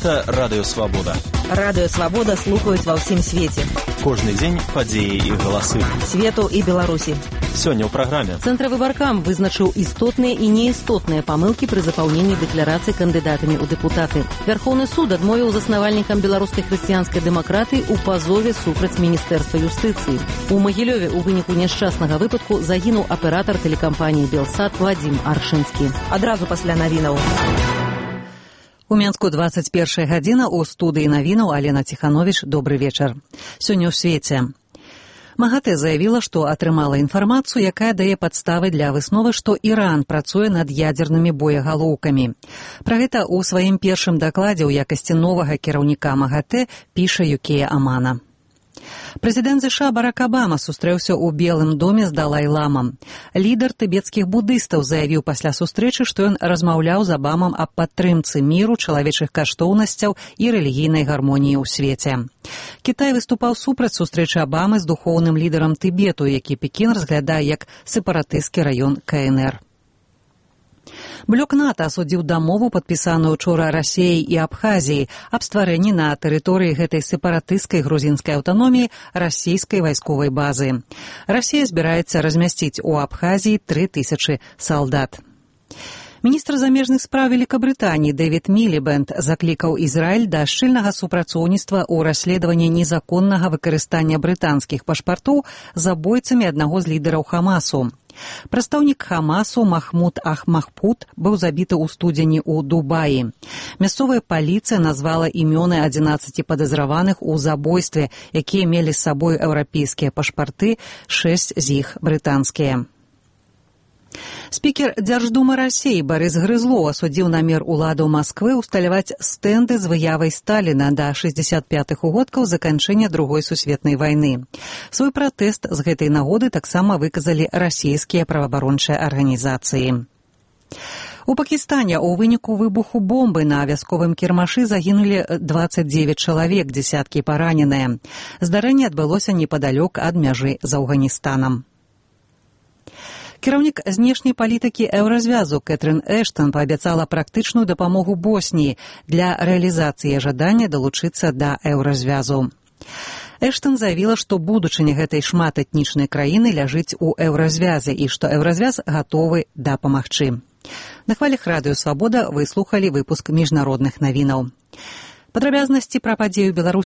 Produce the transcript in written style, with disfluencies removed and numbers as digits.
Гэта Радыё Свабода. Радыё Свабода слухаюць ва ўсім свеце. Кожны дзень падзеі і галасы. Свету і Беларусі. Сёння ў праграме. Цэнтравы баркам вызначыў істотныя і неістотныя памылкі пры запаўненні дэкларацыі кандыдатамі ў дэпутаты. Вярхоўны суд адмовіў заснавальнікам беларускай хрысціянскай дэмакратыі ў пазове супраць міністэрства юстыцыі. У Магілёве ў выніку няшчаснага выпадку загінуў аператар тэлекампаніі «Белсат» Вадзім Аршынскі. Адразу пасля навінаў. У Менску 21 гадзіна, у студыі навінаў Алена Ціхановіч. Добры вечар. Сёння ў свеце. МАГАТЭ заявіла, што атрымала інфармацыю, якая дае падставы для высновы, што Іран працуе над ядзернымі боегалоўкамі. Пра гэта ў сваім першым дакладзе ў якасці новага кіраўніка МАГАТЭ піша Юкія Амана. Прэзідэнт ЗША Барак Абама сустрэўся ў Белым доме з Далай-ламам. Лідар тыбецкіх будыстаў заявіў пасля сустрэчы, што ён размаўляў з Абамам аб падтрымцы міру, чалавечых каштоўнасцяў і рэлігійнай гармоніі ў свеце. Кітай выступаў супраць сустрэчы Абамы з духоўным лідарам Тыбету, які Пекін разглядае як сепаратысцкі раён КНР. Блок НАТО асудзіў дамову, падпісаную учора Расіяй і Абхазіяй, аб стварэнні на тэрыторыі гэтай сепаратысцкай грузінскай аўтаноміі расійскай вайсковай базы. Расія збіраецца размясціць у Абхазіі 3000 салдат. Міністр замежных спраў Великабрытаніі Дэвід Мілібэнд заклікаў Ізраіль да шчыльнага супрацоўніцтва ў расследаванні незаконнага выкарыстання брытанскіх пашпартоў забойцамі аднаго з лідараў Хамасу. Прадстаўнік Хамасу Махмуд Ах-Махпуд быў забіты ў студзені ў Дубаі. Мясцовая паліцыя назвала імёны 11 падазраваных у забойстве, якія мелі з сабой еўрапейскія пашпарты, 6 з іх брытанскія. Спікер Дзярждумы Расіі Барыс Грызлоў асудзіў намер уладаў Масквы ўсталяваць стэнды з выявай Сталіна да 65-х угодкаў заканчэння Другой сусветнай вайны. Свой пратэст з гэтай нагоды таксама выказалі расійскія праваабарончыя арганізацыі. У Пакістане ў выніку выбуху бомбы на вясковым кірмашы загінулі 29 чалавек, дзесяткі параненыя. Здарэнне адбылося непадалёк ад мяжы з Афганістанам. Кіраўнік знешняй палітыкі еўразвязу Кэтрын Эштон паабяцала практычную дапамогу Босніі для рэалізацыі жадання далучыцца да еўразвязу. Эштон заявіла, што будучыня гэтай шматэтнічнай краіны ляжыць у еўразвязе і што еўразвяз гатовы дапамагчы. На хвалях Радыё Свабода вы слухалі выпуск міжнародных навінаў. Падрабязнасці пра падзею Беларусі